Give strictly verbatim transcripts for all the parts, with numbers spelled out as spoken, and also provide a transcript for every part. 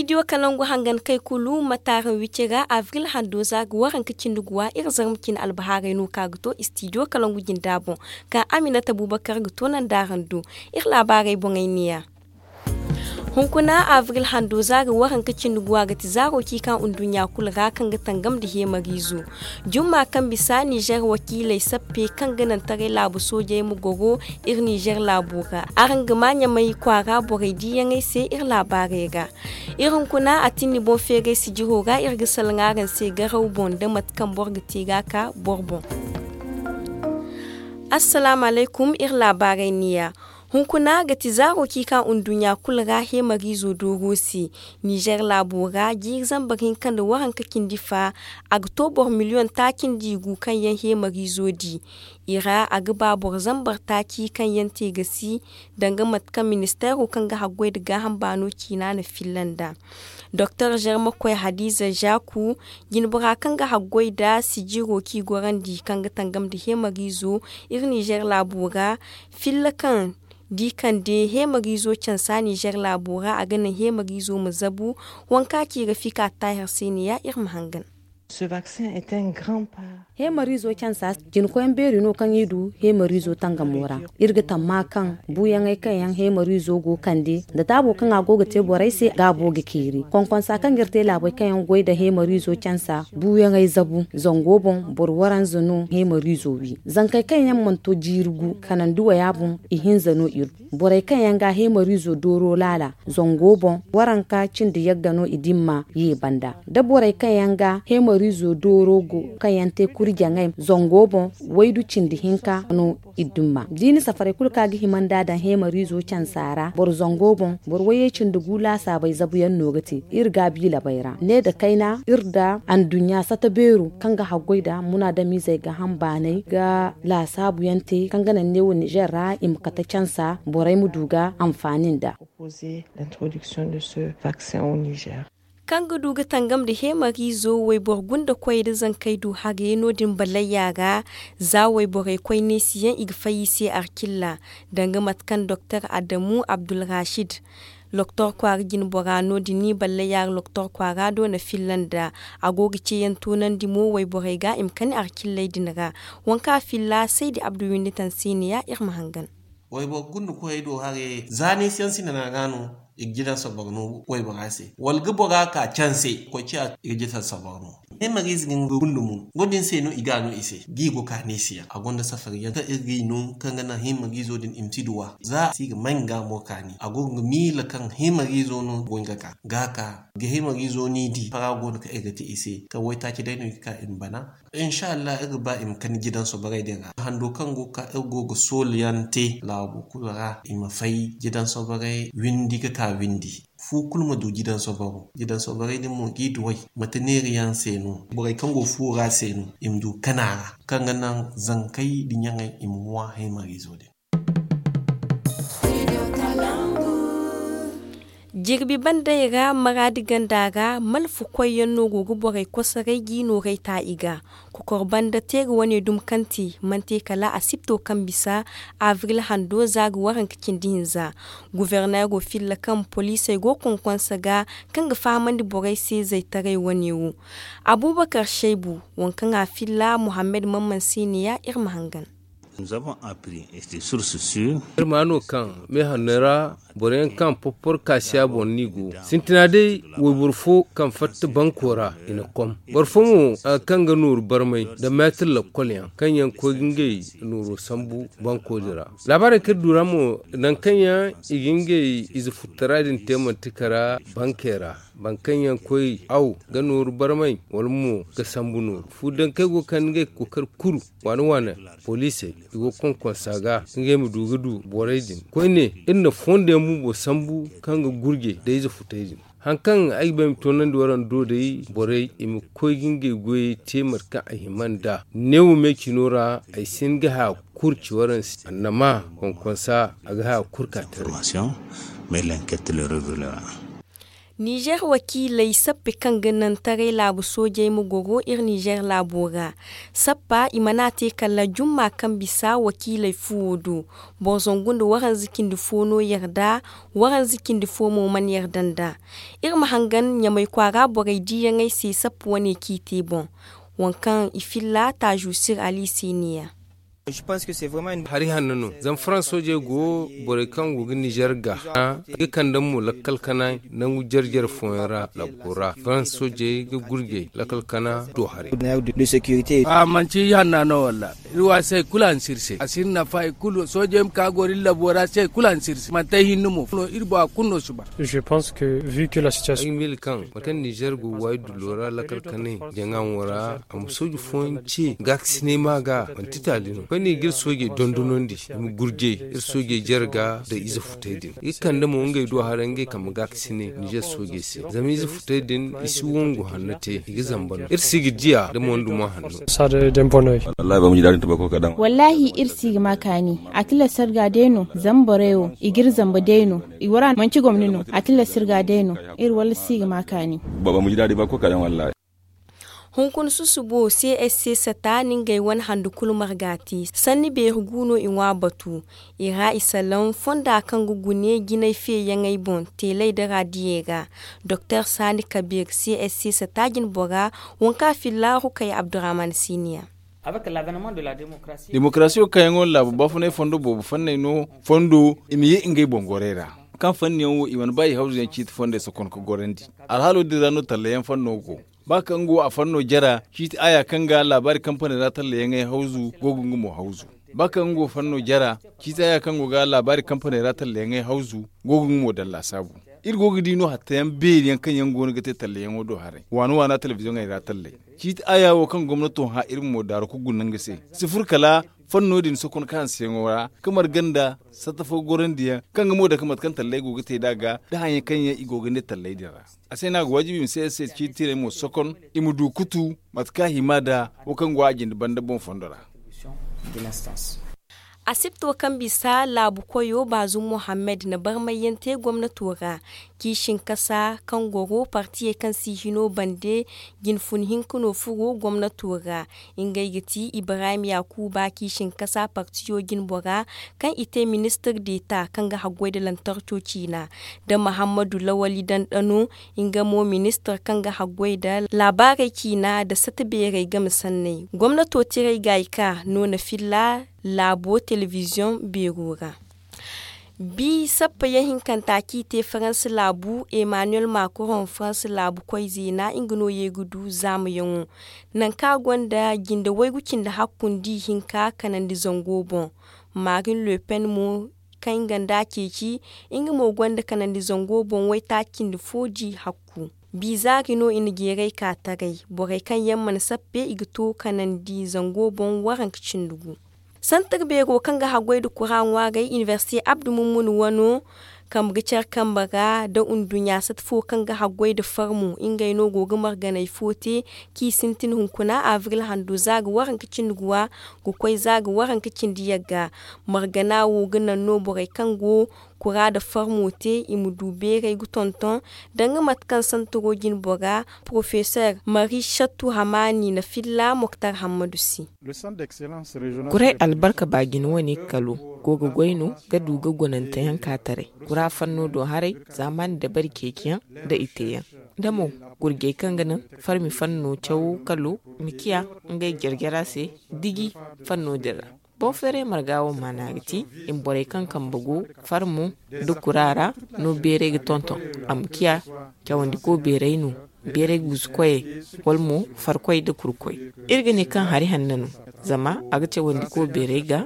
Istidiyo kalangu hangan kay kulu ma taaraŋ wici ra abril hando za ga waranka cindi guwa iri zarma cine albahaarey no ka ga to istidiyo kalangu jinda boŋ, ka aminata bubakar ga to nanda araŋ do. Iri laabaarey boŋey neeya. Hunkuna abril hando za ga waranka cindi guwa ga ti zaaro kaŋ i ka nduɲɲa kulu ra kaŋ ga tangam nda heemariizo. Jumma kaŋ bisa nizer wakiiley sappe kaŋ ga naŋ taray laabu soojey ma goro iri nizer laabo ra. Araŋ ga ma ɲamay kwaara borey diiyaŋey se iri laabaarey ra. Iri hunkuna a tinni boŋ feeray sijiro ra iri ga salaŋ araŋ se garaw boŋ nda mate kaŋ boro ga te ga ka boro boŋ. Assalaamu alaykum, iri laabaarey neeya. Hunkuna ga ti zaaro kaŋ i ka nduɲɲa kulu ra heemariizo dooro se. Nizer laabo ra jiiri zambar hinka nda waranka cindi fa, a ga to boro miliyoŋ taaci nda i gu kaŋ yaŋ heemariizo di. I ra a ga ba boro zambar taaci kaŋ yaŋ te ga si danga mate kaŋ ministeero kaŋ ga haggoy nda gaaham baano ciina na filla nd'a. Doktor zermakoy hadiza zaku, jinbora kaŋ ga haggoy nda sijiro kaŋ i gorandi kaŋ ga tangam nda heemariizo iri nizer laabo ra. Filla kaŋ di kande heemariizo cansa nizer laabo ra a ga naŋ heemariizo ma zabu. Wanka ci ga fika taahir se neeya iri ma hangan. Heemariizo cansa jinkoyaŋ beeri no kaŋ i du heemariizo tangamo ra. Iri ga tamma kaŋ buuyaŋey kaŋ yaŋ heemariizo go kande nda taabo kaŋ a go ga te borey se gaabo ga keeri konkonsa kaŋ ga iri te laabey kaŋ yaŋ goy nda heemariizo cansa buuyaŋey zabu zango boŋ boro waranza no heemariizo wi zankey kaŋ yaŋ mana to jiiri gu kanandi waya boŋ ihinza no iri du borey kaŋ yaŋ ga heemariizo dooro laala zango boŋ waranka cindi yagga no i dimma ye banda da borey kaŋ yaŋ ga heemariizo dooro go kaŋ yaŋ te kurjaŋey zango boŋ waydu cindi hinka no i dimma da i na safarey kulu kaŋ a ga hima nd'a daŋ heemariizo cansa ra boro zango boŋ boro wayey cindi gu laasaabey zabuyaŋ no ga te iri gaabi labey ra ne nda kayna iri nda anduɲɲa sata beero kaŋ ga haggoy nda munaadamiizey gaaham baanay ga laasaabuyaŋ te kaŋ ga naŋ neewo nizer ra i ma kate cansa borey ma du ga anfaani nd'a. Kaŋ ga du ga tangam nda heemariizo wayboro gunda koy nda zankey du hagay no- din ballayya ra. Za wayborey koy neesiyaŋ i ga fay i se arcilla danga mate kaŋ doktor adamu abdulrashid loktor kwaara jinbora no- din ni ballayya ra loktor kwaara do na filla nda a go ga ceeyaŋ toonandi mo wayborey ga i ma kani arcilley din ra. Waŋ kaŋ a filla saydi abdu windi taŋ se neeya iri ma hangan. Wayboro gunda koyey do haray za neesiyaŋ sinana ga no i ga jidan soboro no waybora se wala ga bora ka canse koy ciya i ga jidan soboro no. Heemariize ga nga gunda mo no- din se no i ga no i se ga i go ka neesiyaŋ a gonda safariyaŋ kaŋ iri ga i no kaŋ ga naŋ heemariizo din i ma si duwa za si ga may nga mo kaani a go ga miila kaŋ heemariizo no go nga ka ga ka ga heemariizo ni di fara go no kaŋ iri ga te i se kaŋ waytaaci day no i ga ka i ma bana. Insa allah iri ga ba i ma kani jidan soborey din ra hando kaŋ go ga ka iri go ga soolayaŋ te laabo kulu ra i ma fay jidan soborey windi ga ka windi. Fu kulu ma du jidan soboro jidan soborey din mo g'i duwey mate neeri yaŋ se no borey kaŋ go fu ra se no i ma du kana ra kaŋ ga naŋ zankey da ɲaŋey i ma ŋwa heemariizo din. Jirbi bandey ra maraadi ganda ra malfa koyyaŋ no go ga borey kosoray g'i nooray ta i ga. Kokor banda teeri wane dumi kaŋ te mana te kala asibto kaŋ bisa abril hando za ga waranka cindi hinza. Guverneero filla kaŋ poliisey go konkonsa ga kaŋ ga fahamandi borey se zaytaray wane wo. Abubakar shaybu waŋ kaŋ a filla muhammad mamman se neeya iri ma hangan. Iri ma no kaŋ meehanno ra boro yaŋ kaŋ porpor kaasiya boŋ no i go sintina day wayboro fo kaŋ fatta banko ra i na kom boro fo mo kaŋ ga nooru barmay nda meetir lakkol yaŋ kaŋ yaŋ koy ga ngey nooro sambu banko din ra. Laabaarey kaŋ iri du ra mo nangu kaŋ yaŋ i ga ngey ize futtara din te manti kara bankey ra boro kaŋ yaŋ koy aw ga nooru barmay wala mo ga sambu nooru fu dankey go ga kande ngey ga kookari kuru waane waane poliisey i go ga konkonsa ga ngey ma du ga du borey din koyne iri na fondo yaŋ bumbo sambu kaŋ ga gurje nda ize futey din. Hari kaŋ ay ga ba ay ma toonandi waraŋ do day borey i ma koy ga ngey goyey te mate kaŋ a hima nd'a neewo me cino ra ay si hin ga haya kulu ci waraŋ se annama konkonsa a ga haya kulu ka taray. Nizer wakiiley sappe kaŋ ga naŋ taray laabu soojey ma goro iri nizer laabo ra. Sappa i mana te kala jumma kaŋ bisa wakiiley fuwo do. Boro zangu nda waranza cindi fo no yarda. Waranza cindi fo mo mana yarda nd'a. Iri ma hangan ɲamay kwaara borey diiyaŋey se sappa wane kaŋ i te boŋ. Waŋ kaŋ i filla taazu sir ali se ne ya. Hari hanno no zama farans soojey go borey kaŋ go ga nizer ga i ga kande mo lakkal kana nangu jare jare fooyaŋ ra labbo ra farans soojey ga gurjey lakkal kana do haray. A manci hanna no walla iri wa se kulu a na si iri se a si iri nafa i kulu soojey ma ka goro iri labbo ra se kulu a na si iri se manti ay hinne mo iri bora kulu no si ba. Ay ga miila kaŋ mate kaŋ nizer go waayi dullo ra lakkal kanay jaŋa wo ra a ma sooji fooyaŋ ce gaakasinay ma ga manti taali no koyne i ga iri soojey dondonandi i ma gurjey iri soojey jare ga nda ize futay din i ga kande mo ngey do haray ngey kambe gaakasinay nizer soojey se zama ize futay din i si wongu hanno te i ga zamba no iri si ga diya nda mo nda mo hanno. Wallaahi iri si ga ma kaani a tilas iri ga day no zama borey wo i ga iri zamba day no i wara manci gomni no a tilas iri ga day no. Iri walla si ga ma kaani. Hunkuna susubo c s c sata na ngey wane handu kulu marga te sanni beeri gu no i ŋwa batu. I ra i salaŋ fonda kaŋ ga gune jinay feeyaŋey boŋ teeley nda raadiyey ra. Doktor saani kabiir c s c sata jinbora waŋ kaŋ a filla rukay abdurahman siniya. Demokarasiyo kayyaŋo laabu baafunay fondo boobo fanney no fondo i ma ye ngey boŋ gorey ra. Kaŋ fanniyaŋ wo i mana ba i hawzuyaŋ ciiti fondey sokon ga gorandi. Alhaalo din ra no tallayaŋ fanno go. Ba kaŋ go a fanno jara ciiti aya kaŋ ga laabaari kampaney ra tallayaŋey hawzu go ga nga mo hawzu. Ba kaŋ go fanno jara ciiti aya kaŋ go ga laabaari kampaney ra tallayaŋey hawzu go ga nga mo daŋ laasaabu. Iri go ga di no hattayaŋ beeri yaŋ kaŋ yaŋ go no ga te tallayaŋo do haray waana waana telebiziyoŋey ra tallay. Ciiti aya wo kaŋ gomnato hã iri mo daaru ga guna nga se si fur kala fanno din sokon kaŋ hanseyaŋo ra ka marga nda satta fo gorandiyaŋ kaŋ ga mo dake mate kaŋ talley go ga te nd'a ga nda hayaŋ kaŋ yaŋ i go ga ne talley din ra. A se no a ga waajibi i ma se se ciiti tirey mo sokon i ma du ga tu mate kaŋ a hima nd'a wo kaŋ go a jinde banda boŋ fondo ra. Asipto kaŋ bisa laabu koyo baazum mohammed na barmayyaŋ te gomnato ra. Kiisin kasa kaŋ goro partiyey kaŋ si hino bande jinfun hinka no furo gomnato ra. Ngey ga ti ibrahim yakuba kiisin kasa partiyo jinbora kaŋ i te ministir deta kaŋ ga haggoy nda lantarco ciina nda mahammadu lawali dandano. Nga mo ministir kaŋ ga haggoy nda laabaarey ciina nda sata beerey game sanney gomnato tiray ga i ka no na filla laabo telebiziyoŋ beero ra. Bi sappa yaŋ hinkanta kaŋ i te faransa laabu emmanuel macron faransa laabu koy zeena nga no ye ga du zaamayaŋo. Nangu kaŋ a gonda jinde waygu cindi hakku nda ihinka kanandi zango boŋ. Marine le pen mo kaŋ nga nda a ceeci nga mo gonda kanandi zango boŋ waytaaci cindi fo da i hakku. Bi zaari no i na jeeray ka taray borey kaŋ yaŋ mana sappe i ga to kanandi zango boŋ waranka cindi gu. Santar beero kaŋ ga haggoy nda kura ŋwaaray inibersite abdu mummun wano kambe ga care kambe ra nda nduɲɲa sata fo kaŋ ga haggoy nda farmo ngey no go ga marganey fo te. Kaŋ i sintin hunkuna abril hando za ga waranka cindi guwa ga koy za ga waranka cindi yagga. Margana wo ga naŋ no borey kaŋ go kura nda farmo te i ma du beeray ga tonton danga mate kaŋ santaro jinbora porofesor mari shattu hamani na filla moktar hammadu se. Kuray albarka baajine wane kalo go ga goy no ga du ga gonanteyaŋ ka taray kura fanno do haray zaamaani dabari ceeciyaŋ nda i teeyaŋ nda mo gurjey kaŋ ga naŋ farmi fanno cawo kalo ma ciya ngey jare-jara se diji fanno din ra. Boŋ feeray marga wo maana ga ti i ma borey kaŋ kambe go farmo nda kura ra no beeray ga tonton a ma ciya cawandiko beeray no beeray guusu koyey wala mo farkoy nda kurkoy. Iri ga ne kaŋ hari hanno no zama a ga cawandiko beeray ga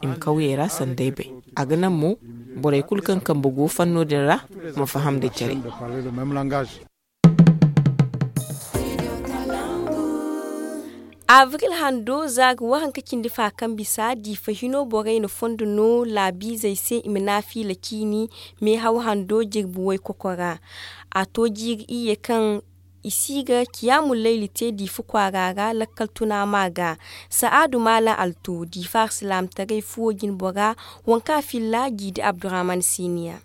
i ma kawyey ra sanda ay bay. A ga naŋ mo borey kulu kaŋ kambe go fanno din ra ma faham nda care. Abril hando za ga waranka cindi fa kaŋ bisa diifa hino borey na fondo no laabiizey se i ma naafiila ciini meehaw hando jirbi waykoko ra. A to jiiri iyye kaŋ i si ga kiyaamu layli te diifa kwaara ra lakkal tuna ma ga. Sa'aadu maalam alto diifa alsilaamataray fuwo jinbora waŋ kaŋ a filla jiidi abdurahman siiniya.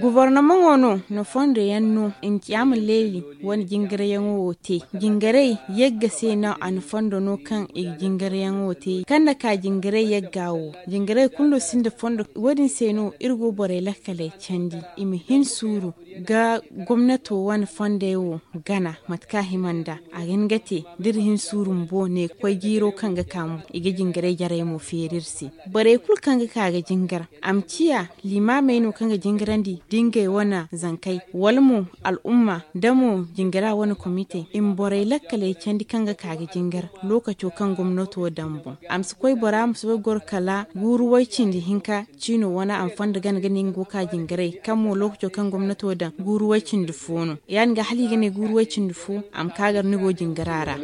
Gobornomaŋo no na fondo yaŋ no i ma ci a ma leeli wane jingaryaŋo wo te. Jingaray yagga se no a na fondo no kaŋ i ga jingaryaŋo te kaŋ na ka jingaray yagga wo. Jingaray kulu no sinda fondo. Wo- din se no iri go borey lakkaley candi i ma hin suuru ga gomnato wane fondey wo gana mate kaŋ a hima nd'a. A ga hin ga te da iri hin suuru bumbo ne koy jiiro kaŋ ga ka mo i ga jingaray jarey mo feeri iri se. Borey kulu kaŋ ga ka ga jingar a ma ciya limaamey no kaŋ ga jingarandi da ngey wane zankey wala mo al'umma da mo jingara wane komite i ma borey lakkaley candi kaŋ ga ka ga jingar lookaco kaŋ gomnato daŋ boŋ. A ma si koy bora ma si koy goro kala guuru way-cindi hinka ciino wane a ma fondo gana ga ne nga go ka jingaray kaŋ mo lookaco kaŋ gomnato daŋ guuru way-cindi fo no. Ya- din ga hala i ga ne guuru way-cindi fo a ma ka gar ni go jingara ra.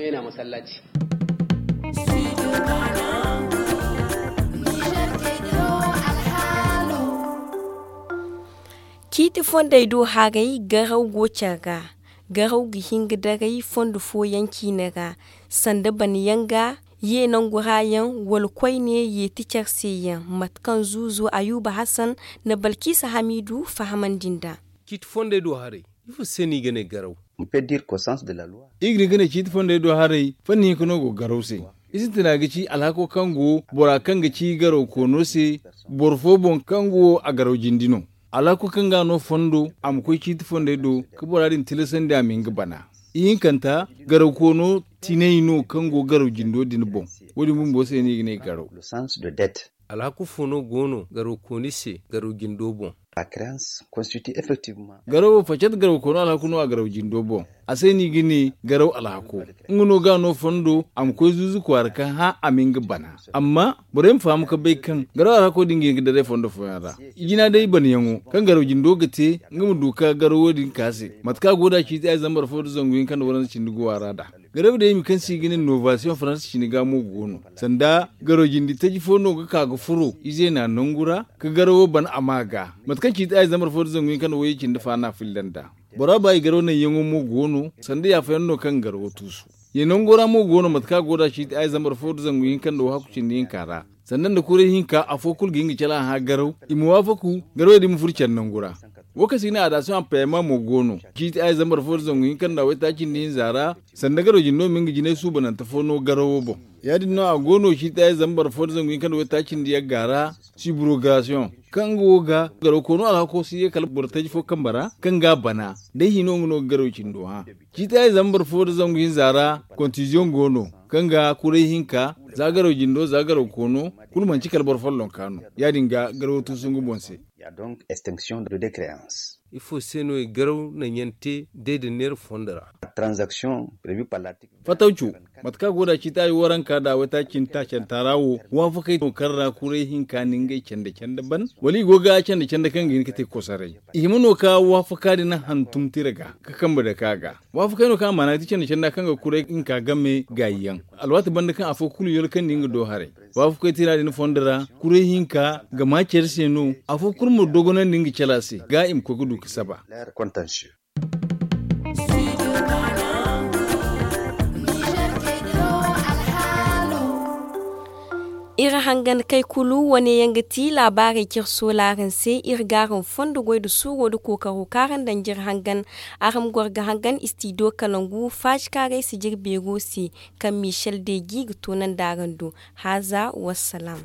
Ciiti fondey do haray garaw go care ga garaw ga hin ga daray fondo fooyaŋ ciine ra sanda bana yaŋ ga ye nangu ra yaŋ wala koyne yeeti care se yaŋ mate kaŋ zuuzu ayuba hasan na balkiisa hamiidu fahamandi nd'a. Ciiti fondey do haray ifo se no i ga ne garaw? Iri ga ne ga ne ciiti fondey do haray fanni hinka no go garaw se. I sintina ga ci alhako kaŋ go bora kaŋ ga ci garaw koono se boro fo boŋ kaŋ go a garaw jindi no. Alhako kaŋ ga no fondo a ma koy ciiti fondey do ka bora din tilasandi a ma hin ga bana. Ihinkanta garaw koono tinay no kaŋ go garaw jindo din boŋ. Wo- din bumbo se no i ga ne garaw. Alhaku fo no go no garaw kooni se garaw jindo boŋ? Garawo facat garaw koono alhaku no a garaw jindo boŋ. A se no i ga ne garaw alhako. Nga no ga no fondo a ma koy zuuzu kwaara ka hã a ma nga bana. Amma borey ma faham ka bay kaŋ garaw alhako din ga hin ga daray fondo fooyaŋ ra. I jina day banayaŋo kaŋ garaw jindo ga te nga ma du ka garawo din ka se mate kaŋ a go da ciiti ay zambar fo nda zangu hinka nda waranza cindi guwa ra nd'a. Garaw day i ma kaŋ se i ga ne novasiyoŋ faransa cine ga mo go no sanda garaw jindi taji fo no ga ka ga furo ize na nangu ra ka garawo ban a ma ga mate kaŋ ciiti ay zambar fo nda zangu hinka nda wayye cindi fa na filla nd'a. Bora ba i garaw naŋyaŋo mo go no sanda yaafayaŋ no kaŋ garawo tuusu. Ye nango ra mo go no mate kaŋ a go da ciiti ay zambar fo nda zangu hinka nda wahaku cindi hinka ra sanda nda kuray hinka afo kulu ga hin ga cala hã garaw i ma waafaku garawey din ma furo care nangu ra. Wo kaŋ se i ga ne adasiyoŋ a payama mo go no ciiti ay zambar fo nda zangu hinka nda waytaaci nda hinza ra sanda garaw jindo ma nga jinay suubanante fo no garawo boŋ. Ya- din no a go no ciiti ay zambar fo nda zangu hinka nda waytaaci nda yagga ra sibrogasiyoŋ kaŋ nga wo ga garaw koono alhako si ye kala boro taji fo kambe ra kaŋ ga a bana day hino nga no ga garaw cindo hã. Ciiti ay zambar fo nda zangu hinza ra kontiziyoŋ go no kaŋ ga kuray hinka za garaw jindo za garaw koono kulu manci kala boro follonka no. Ya- din ga garawo tuusu nga boŋ se. Ifo se no i garaw naŋyaŋ te day da neera fondo ra? Fatawco, mate kaŋ a go da ciiti ay waranka nda waytaaci cindi taacanta ra wo waafakey no kaŋ ra kuray hinka na ngey canda canda ban wala i go ga canda canda kaŋ ga hin ga te kosoray? I hima no ka waafaka din hantum tira ga ka kambe dake a ga. Waafakey no kaŋ a maana ga ti canda canda kaŋ ga kuray hinka game gaayi yaŋ alwaati banda kaŋ afo kulu yolkandi nga do haray. Waafakey tira din fondo ra kuray hinka ga ma care se no afo kulu ma dogonandi nga cala se ga i ma koy ga du ga saba. Iri hangan kay kulu wane yaŋ ga ti laabaarey kaŋ iri soola araŋ se. Iri ga araŋ fondo goy nda suuro nda kookaro kaŋ araŋ daŋ ga iri hangan. Araŋ ma goro ga hangan istidiyo kalangu faasi kaŋ araŋ ay si jire beero se kaŋ michel deji ga toonandi araŋ do. Haaza wassalaam.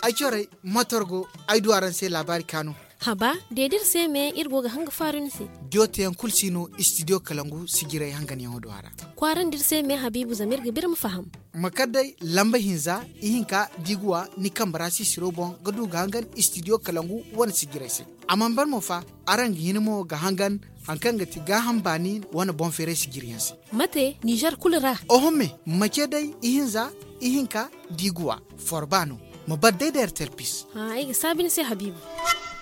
Ay corey motor go ay du araŋ se laabaari kaanu. Haba, de da iri se me iri go ga hanga faaru ni se. Jooteyaŋ kulu si no istidiyo kalangu sijirey hanganyaŋo do a ra. Kwaarandi iri se me habiibu zama iri ga ba iri ma faham. Ma kar day lamba hinza ihinka da i ga wa ni kambe ra sisiro boŋ ga du ga hangan istidiyo kalangu wane sijirey se. A mana ban mo fa, araŋ ga hin mo ga hangan hari kaŋ ga ti gaaham baani wane boŋ feeray sijiriyaŋ se. Mate nizer kulu ra? Oho me, ma ce day ihinza ihinka da i ga wa forba no. Ma bar day da ertelpis. Ay ga saabi ni se habiibu.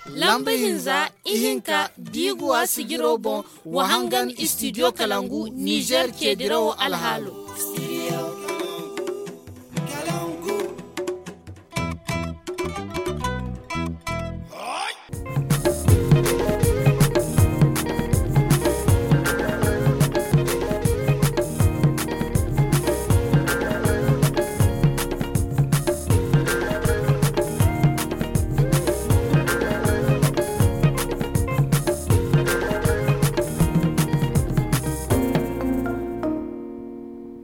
Lamba hinza ihinka da i ga wa sijiro boŋ, wa hangan istidiyo kalangu nizer ceedirawo alhaalo.